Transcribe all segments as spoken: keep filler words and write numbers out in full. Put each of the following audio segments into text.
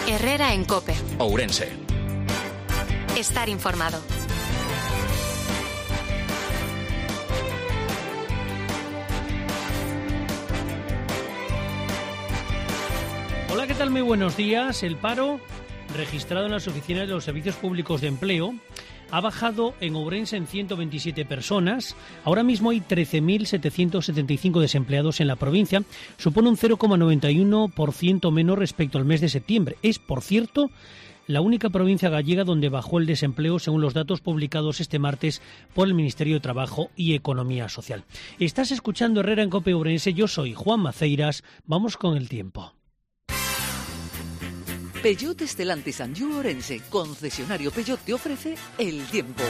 Herrera en COPE. Ourense. Estar informado. Hola, ¿qué tal? Muy buenos días. El paro registrado en las oficinas de los servicios públicos de empleo ha bajado en Ourense en ciento veintisiete personas. Ahora mismo hay trece mil setecientos setenta y cinco desempleados en la provincia. Supone un cero coma noventa y uno por ciento menos respecto al mes de septiembre. Es, por cierto, la única provincia gallega donde bajó el desempleo según los datos publicados este martes por el Ministerio de Trabajo y Economía Social. Estás escuchando Herrera en COPE Ourense. Yo soy Juan Maceiras. Vamos con el tiempo. Peugeot Stellantis Anjou Ourense, concesionario Peugeot, te ofrece el tiempo.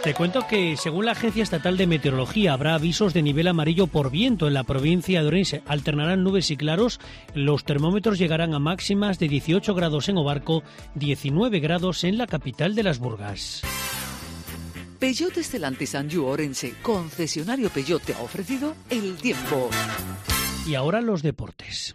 Te cuento que, según la Agencia Estatal de Meteorología, habrá avisos de nivel amarillo por viento en la provincia de Ourense. Alternarán nubes y claros. Los termómetros llegarán a máximas de dieciocho grados en Obarco, diecinueve grados en la capital de las Burgas. Peugeot Stellantis Anjou Ourense, concesionario Peugeot, te ha ofrecido el tiempo. Y ahora los deportes.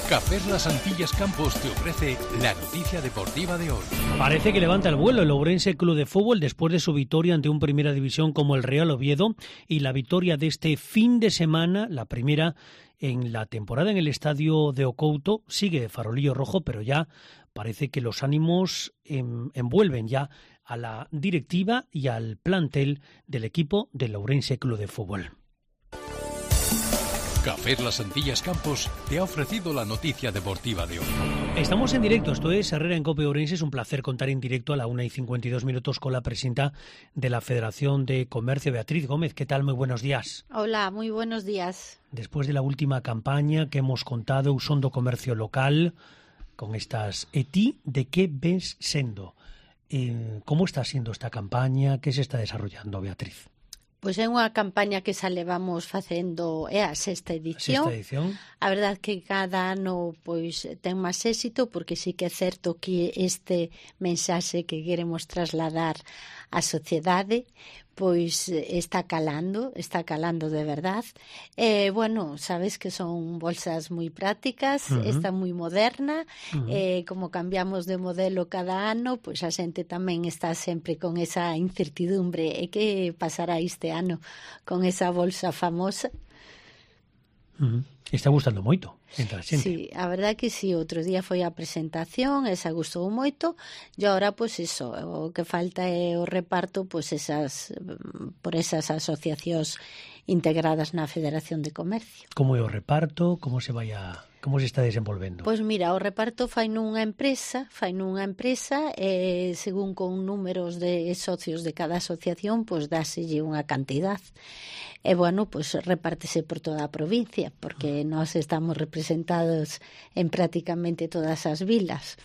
Café Las Antillas Campos te ofrece la noticia deportiva de hoy. Parece que levanta el vuelo el Ourense Club de Fútbol después de su victoria ante un Primera División como el Real Oviedo y la victoria de este fin de semana, la primera en la temporada en el estadio de Ocouto. Sigue farolillo rojo, pero ya parece que los ánimos en, envuelven ya a la directiva y al plantel del equipo del Ourense Club de Fútbol. Café Las Antillas Campos te ha ofrecido la noticia deportiva de hoy. Estamos en directo, esto es Herrera en COPE Ourense. Es un placer contar en directo a la una y cincuenta y dos minutos con la presidenta de la Federación de Comercio, Beatriz Gómez. ¿Qué tal? Muy buenos días. Hola, muy buenos días. Después de la última campaña que hemos contado, usando comercio local, con estas E T I, ¿de qué ves sendo? Eh, ¿Cómo está siendo esta campaña? ¿Qué se está desarrollando, Beatriz? Pois é unha campaña que xa levamos facendo, é a sexta edición. Sexta edición. A verdade que cada ano pois ten máis éxito, porque sí que é certo que este mensaxe que queremos trasladar á sociedade pois está calando, está calando de verdad. Eh, bueno, sabes que son bolsas moi prácticas, uh-huh. Está moi moderna, uh-huh. eh, como cambiamos de modelo cada ano, pois a xente tamén está sempre con esa incertidumbre. E que pasará este ano con esa bolsa famosa? Uh-huh. Está gustando moito entre a xente. Sí, a verdade que sí, outro día foi a presentación, esa gustou moito, e agora, pois iso, o que falta é o reparto, pois esas, por esas asociacións integradas na Federación de Comercio. Como é o reparto? Como se vai a... Como se está desenvolvendo? Pois mira, o reparto fai nunha empresa, fai nunha empresa, e según con números de socios de cada asociación, pois dáselle unha cantidad. E bueno, pois repártese por toda a provincia, porque nós estamos representados en prácticamente todas as vilas.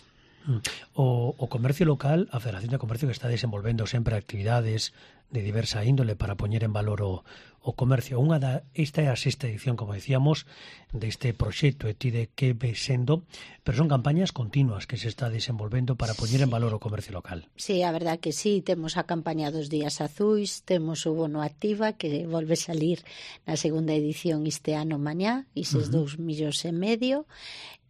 O, o comercio local, a Federación de Comercio, que está desenvolvendo sempre actividades de diversa índole para poñer en valor o, o comercio. Unha da, esta é a sexta edición, como decíamos, deste proxecto E T I de que ve sendo, pero son campañas continuas que se está desenvolvendo para poñer en valor o comercio local. Sí, a verdade que sí, temos a campaña dos días azuis, temos o bono activa que volve salir na segunda edición este ano mañá, eses uh-huh. dous millóns e medio.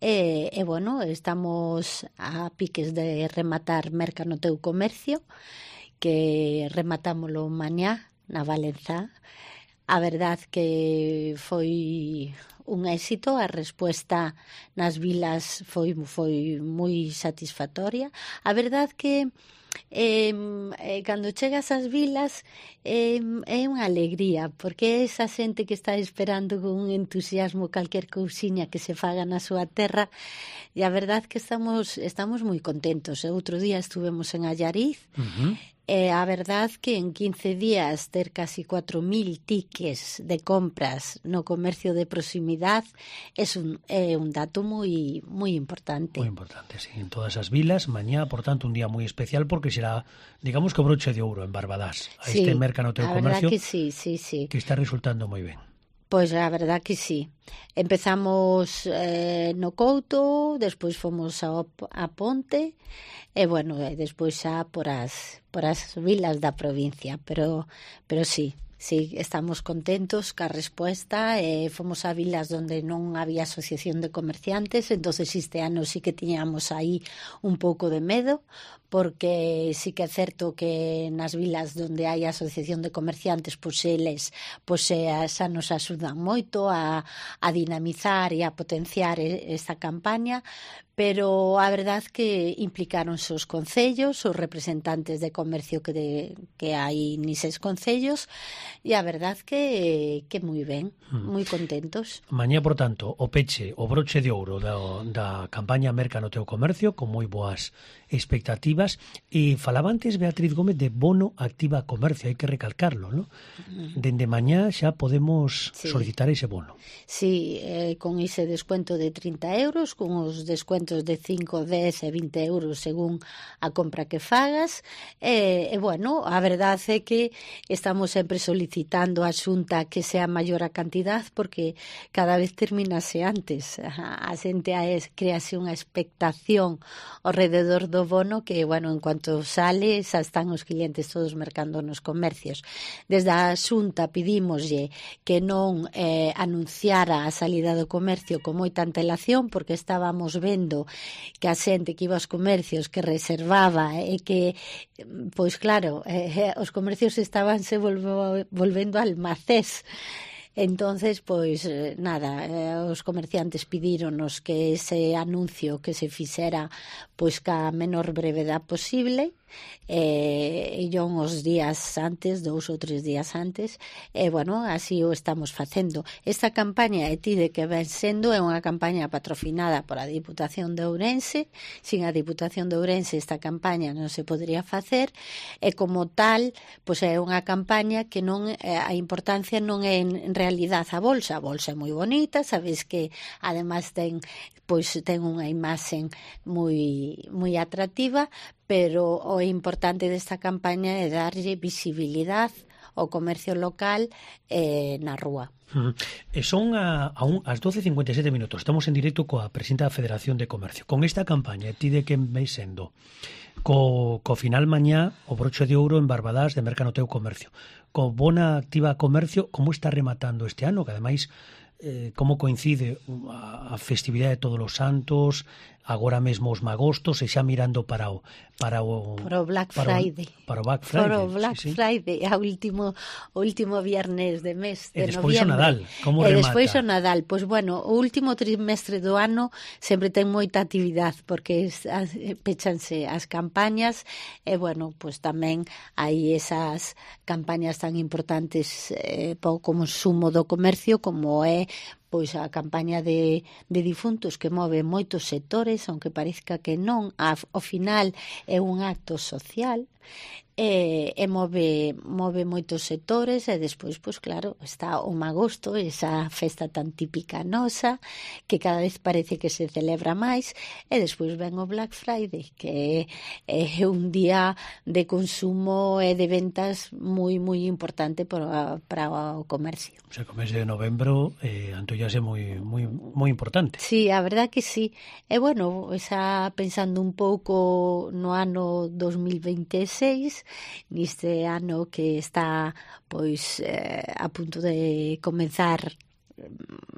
E, e bueno, estamos a piques de rematar Merca no teu comercio, que rematámolo mañá na Valenzá. A verdade que foi un éxito, a resposta nas vilas foi foi moi satisfactoria. A verdade que eh, eh, cando chegas ás vilas eh, é unha alegría, porque é esa xente que está esperando con un entusiasmo calquer cousiña que se faga na súa terra, e a verdade que estamos estamos moi contentos. Outro día estuvemos en Allariz, uh-huh. E a verdade que en quince días ter casi cuatro mil tickets de compras no comercio de proximidade é un, é un dato moi moi importante. Moi importante, sí, en todas as vilas. Mañá, por tanto, un día moi especial porque será, digamos que broche de ouro en Barbadás. A sí, este Merca no teu comercio, que sí, sí, sí. que está resultando moi ben. Pois a verdade que sí. Empezamos eh, no Couto, despois fomos a, a Ponte, e bueno, e despois xa por as, por as vilas da provincia, pero, pero sí, sí, estamos contentos ca respuesta. Eh, fomos a vilas donde non había asociación de comerciantes, entonces este ano sí que tiñamos aí un pouco de medo, porque sí que é certo que nas vilas donde hai asociación de comerciantes, pois eles pois, xa nos axudan moito a, a dinamizar e a potenciar esta campaña, pero a verdad que implicaronse os concellos, os representantes de comercio que, de, que hai nises concellos, e a verdad que, que moi ben, moi contentos. Mañá, por tanto, o peche, o broche de ouro da, da campaña Merca no teu comercio, con moi boas expectativas. E falaba antes Beatriz Gómez de bono activa comercio, hai que recalcarlo, ¿no? Dende mañá xa podemos sí. solicitar ese bono. Sí, eh, con ese descuento de trinta euros, con os descuentos de cinco, dez e vinte euros según a compra que fagas. E, eh, bueno, a verdade é que estamos sempre solicitando a Xunta que sea maior a cantidad, porque cada vez terminase antes. A, a xente crease unha expectación ao rededor do bono que, bueno, en cuanto sale, xa están os clientes todos mercando nos comercios. Desde a Xunta pedímoslle que non eh, anunciara a salida do comercio con moita antelación, porque estábamos vendo que a xente que iba aos comercios, que reservaba e que, pois claro, eh, os comercios estabanse volvo, volvendo almacés. Entonces, pois, nada, eh, os comerciantes pidíronos que ese anuncio que se fixera pois ca menor brevedade posible, e eh, yo uns días antes, dous ou tres días antes, e, eh, bueno, así o estamos facendo. Esta campaña, e ti de que ven sendo, é unha campaña patrocinada pola Diputación de Ourense. Sin a Diputación de Ourense esta campaña non se podría facer, e como tal, pois é unha campaña que non, eh, a importancia non é en, en realidade a bolsa. A bolsa é moi bonita, sabes que además ten, pois, ten unha imaxen moi, moi atractiva, pero o importante desta campaña é darlle visibilidade ao comercio local eh, na rúa. Uh-huh. E son a, a un, as doce e cincuenta e sete minutos. Estamos en directo coa presidenta da Federación de Comercio. Con esta campaña, ti de que vai sendo? Co, co final mañá, o broche de ouro en Barbadás de Merca no teu comercio. Co bona activa comercio, como está rematando este ano? Que ademais, eh, como coincide a, a festividade de Todos os Santos, agora mesmo os magostos, e xa mirando para o para o para o Black para Friday. O, para o Black Friday. Para o Black sí, sí. Friday, a último o último viernes de mes de e despois noviembre. o Nadal, como e remata? E despois o Nadal, pois bueno, o último trimestre do ano sempre ten moita actividade, porque es, as, pechanse as campañas, e bueno, pois tamén hai esas campañas tan importantes eh, para o consumo do comercio, como é pois a campaña de, de difuntos, que move moitos sectores, aunque parezca que non, ao final é un acto social, e, e move, move moitos sectores, e despois, pois claro, está o magosto, esa festa tan típica nosa, que cada vez parece que se celebra máis, e despois ven o Black Friday, que é, é un día de consumo e de ventas moi, moi importante para, para o comercio. O sea, o mes de novembro eh, antollase moi, moi, moi importante. Sí, a verdad que sí. E bueno, xa pensando un pouco no ano dos mil veintiséis, neste ano que está pois eh, a punto de comenzar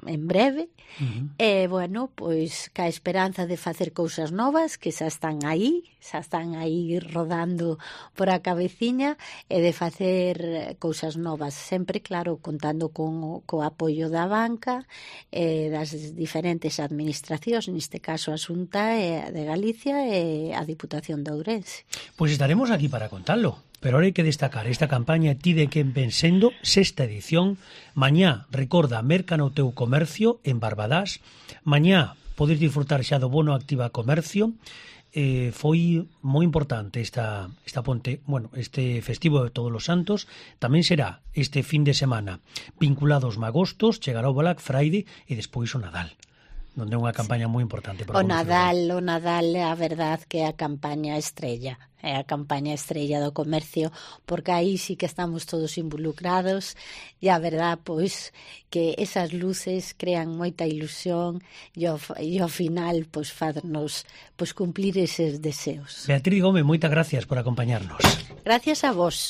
en breve, uh-huh. e bueno, pois ca esperanza de facer cousas novas que xa están aí, xa están aí rodando por a cabeciña, e de facer cousas novas, sempre claro, contando con co apoio da banca e das diferentes administracións, neste caso a Xunta de Galicia e a Diputación de Ourense. Pois estaremos aquí para contarlo. Pero ahora hai que destacar esta campaña Ti de quen ven sendo, sexta edición. Mañá, recorda, merca no teu comercio en Barbadás. Mañá podes disfrutar xa do bono activa comercio. Eh, foi moi importante esta, esta ponte, bueno, este festivo de Todos os Santos. Tamén será este fin de semana vinculado aos magostos, chegará o Black Friday e despois o Nadal, donde é unha campaña moi importante para o Nadal, o Nadal, a verdad que é a campaña estrella, é a campaña estrella do comercio, porque aí sí que estamos todos involucrados, e a verdad, pois, que esas luces crean moita ilusión, e ao, e ao final, pois, faznos, pois, cumplir eses deseos. Beatriz Gómez, moitas gracias por acompañarnos. Gracias a vos.